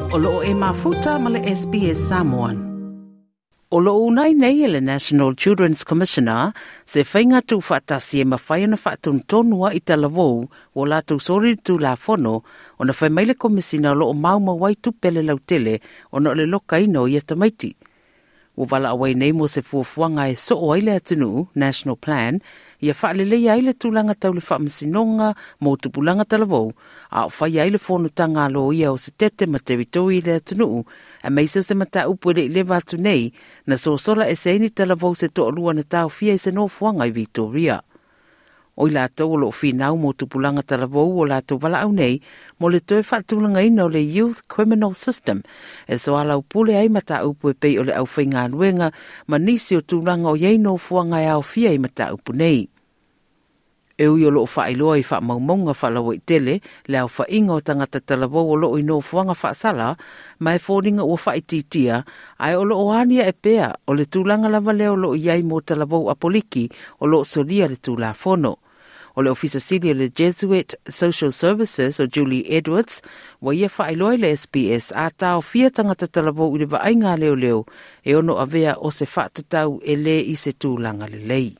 O loo e mafuta ma le SBS Samoan. O loo uunai nei e le National Children's Commissioner se faiga tuufaatasi e mafai ona faatonutonu ai talavou ua latou soli le Tulafono ona fai mai le Komesina o loo maumau ai tupe a le lautele ona o le lokaina o ia tamaiti. Ua valaau ai nei mo se fuafuaga e soo ai le atunuu, National Plan, ia faaleleia ai le tulaga tau le faamasinoga mo tupulaga talavou, a o faia ai le fonotaga a loia o Setete ma Teritori i le atunuu, aemaise o se mataupu e le i leva atu nei, na sosola ese ai ni talavou se toalua na taofia i se nofoaga i Victoria. O i latou o lo o finau mo tupulaga talavou o latou valaau nei mo le toe faatulagaina o le Youth Criminal System e soalaupule ai mataupu e pei o le aufaigaluega ma nisi o tulaga o i ai nofoaga e aofia i mataupu nei. E ui o lo o faailoa i faamaumauga faalauaitele le aofaiga o tagata talavou o lo o i nofoaga faasala, ma e foliga ua faaitiitia, ae o lo o aniae pea o le tulaga lava lea o lo o i ai mo talavou apoliki o lo o solia le Tulafono. O le Ofisa Sili o le Jesuit Social Services o Julie Edwards, ua ia faailoa i le SBS a taofia tagata talavou i le vaaiga a leoleo e ono avea o se faatatau e le i se tulaga lelei.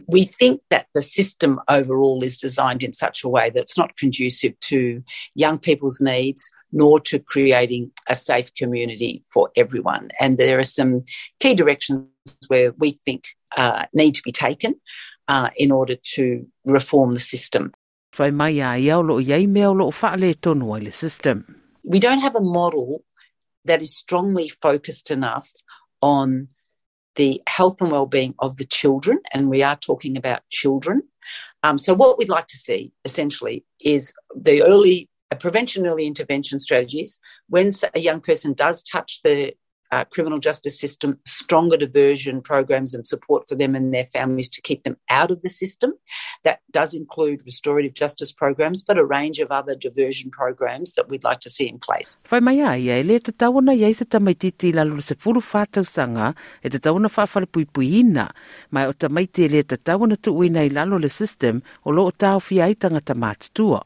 We think that the system overall is designed in such a way that's not conducive to young people's needs nor to creating a safe community for everyone. And there are some key directions where we think need to be taken in order to reform the system. Fai mai a ia o lo o i ai mea o lo o faaletonu ai le system. We don't have a model that is strongly focused enough on the health and well-being of the children, and we are talking about children. So what we'd like to see, essentially, is the early prevention, early intervention strategies. When a young person does touch the criminal justice system, stronger diversion programs and support for them and their families to keep them out of the system. That does include restorative justice programs, but a range of other diversion programs that we'd like to see in place. Fai mai a ia, e le tatau ona i ai se tamaitiiti i lalo o le 14 tausaga e tatau ona faafalepuipuiina, ma o tamaiti e le tatau ona tuuina i lalo o le system o lo o taofia ai tagata matutua.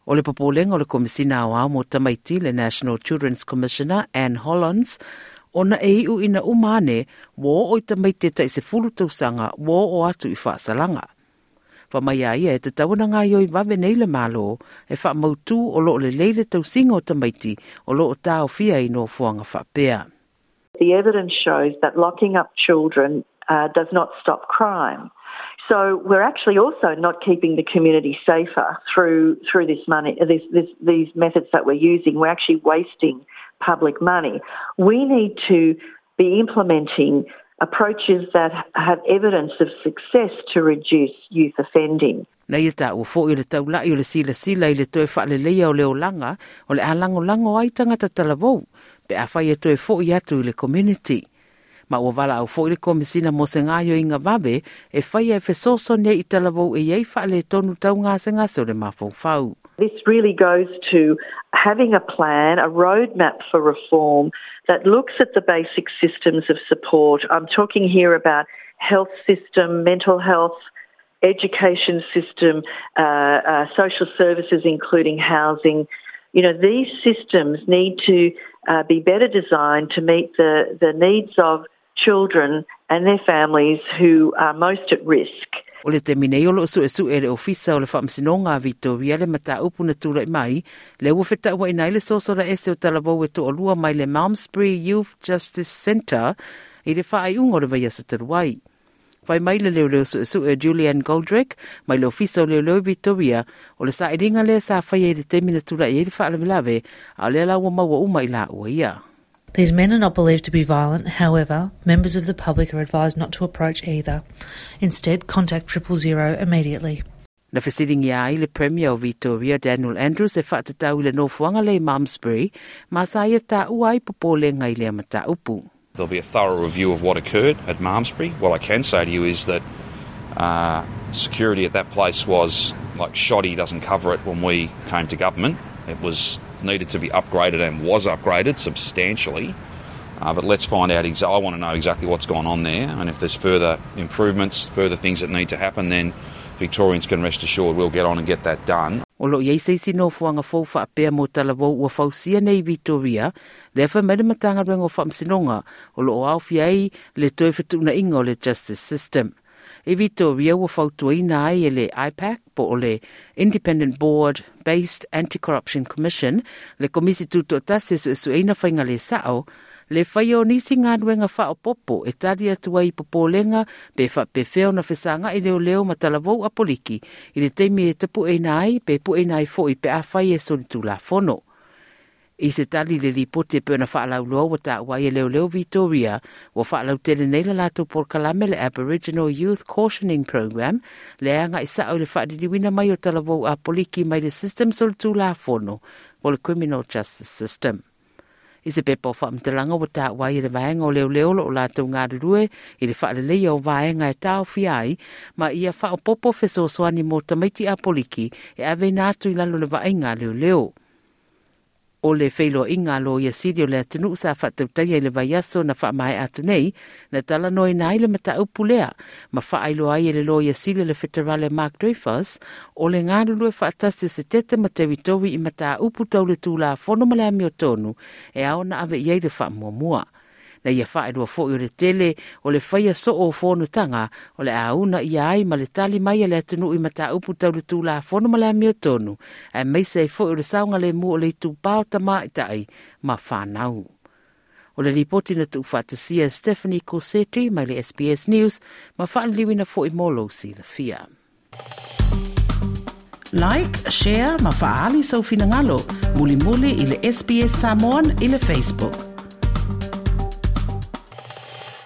O le popolega o le Komesina Aoao mo Tamaiti, le National Children's Commissioner, Anne Hollonds, ona e iu ina uma ane, ua oo i tamaiti e tai 10 tausaga ua oo atu i faasalaga. Fai mai a ia e tatau ona gaoioi vave nei le Malo e faamautū o lo o lelei le tausiga o tamaiti o lo o taofia i nofoaga faapea. The evidence shows that locking up children does not stop crime. So we're actually also not keeping the community safer through this money, these methods that we're using. We're actually wasting public money. We need to be implementing approaches that have evidence of success to reduce youth offending. Na ia taua foi o le taulai o le silasila i le toe faaleleia o le olaga o le a lagolago ai tagata talavou pe afai e toe foi atu i le community. Ma ua valaau foi le Komesina mo se gaoioiga vave e faia e fesoasoani ai i talavou e i ai faaletonu tau gasegase o le mafaufau. This really goes to having a plan, a roadmap for reform that looks at the basic systems of support. I'm talking here about health system, mental health, education system, social services including housing. These systems need to be better designed to meet the needs of children and their families who are most at risk. O le taimi nei o lo o suesue e le Ofisa o le Faamasinoga a Victoria le mataupu na tulai mai, lea ua fetauaina ai le sosola ese o talavou e toalua mai le Malmesbury Youth Justice Centre i le faaiuga o le vaiaso talu ai. Fai mai le leoleo suesue Julian Goldrick mai le Ofisa o Leoleo i Victoria, o le sailiga lea sa faia i le taimi na tulai ai le faalavelave, a o lea la ua maua uma i laua ia. These men are not believed to be violent, however, members of the public are advised not to approach either. Instead, contact 000 immediately. Na fesiligia ai le Premier o Victoria Daniel Andrews e faatatau i le nofoaga lea i Malmesbury, ma sa ia taua ai popolega i lea mataupu. There'll be a thorough review of what occurred at Malmesbury. What I can say to you is that security at that place was like shoddy doesn't cover it when we came to government. It was needed to be upgraded and was upgraded substantially. But let's find out. I want to know exactly what's gone on there, and if there's further improvements, further things that need to happen, then Victorians can rest assured we'll get on and get that done. O loo i ai se isi nofoaga fou faapea mo talavou ua fausia nei i Vitoria, lea fai mai le Matagaluega o Faamasinoga o loo aofia ai le toe fetuunaiga o le Justice System. I Vitoria ua fautuaina ai e le IPAC po o le Independent Board Based Anti-Corruption Commission le Komisi Tutoatasi e suesueina faiga le sao le faia o nisi galuega faaopopo e tali atu ai i popolega pe faapefea ona fesagai leoleo ma talavou a poliki i le taimi e tapueina ai pe pueina ai foi pe afai e solitulafono. I se tali i le lipoti e pei ona faalauiloa ua taua ai e leoleo Vitoria ua faalautele nei le latou polokalame le Aboriginal Youth Cautioning Program le agai sao i le faaliliuina mai o talavou a poliki mai le system solitulafono po le Criminal Justice System. I se pepa o faamatalaga ua taua ai e le vaega o leoleo o lo o latou galulue i le faaleleia o vaega e taofia ai ma ia faaopoopo fesoasoani mo tamaiti a poliki e aveina atu i lalo o le vaaiga a leoleo. O le feiloaiga a Loia Sili o le atunuu sa faatautaia i le vaiaso na faamaea atu nei, na talanoaina ai le mataupu lea ma faailoa ai e le Loia Sili o le Feterale Mark Dreyfus o le galulue faatasi o Setete ma Teritowi i mataupu tau le Tulafono ma le amiotonu e ao ona ave i ai le faamuamua. Na ia faailoa foi o le tele o le faia soo o fonotaga o le a uunaia ai ma le tali mai a le atunuu i mataupu tau le Tulafono ma le amiotonu, aemaise ai foi o le saogalemu o le itupa o tamaitai ma fanau. O le lipoti na tuufaatasia e Stephanie Corsetti mai le SBS News ma faaliliuina foi mo lou silafia. Like, share ma faaali sou finagalo mulimuli i le SBS Samoan i le Facebook.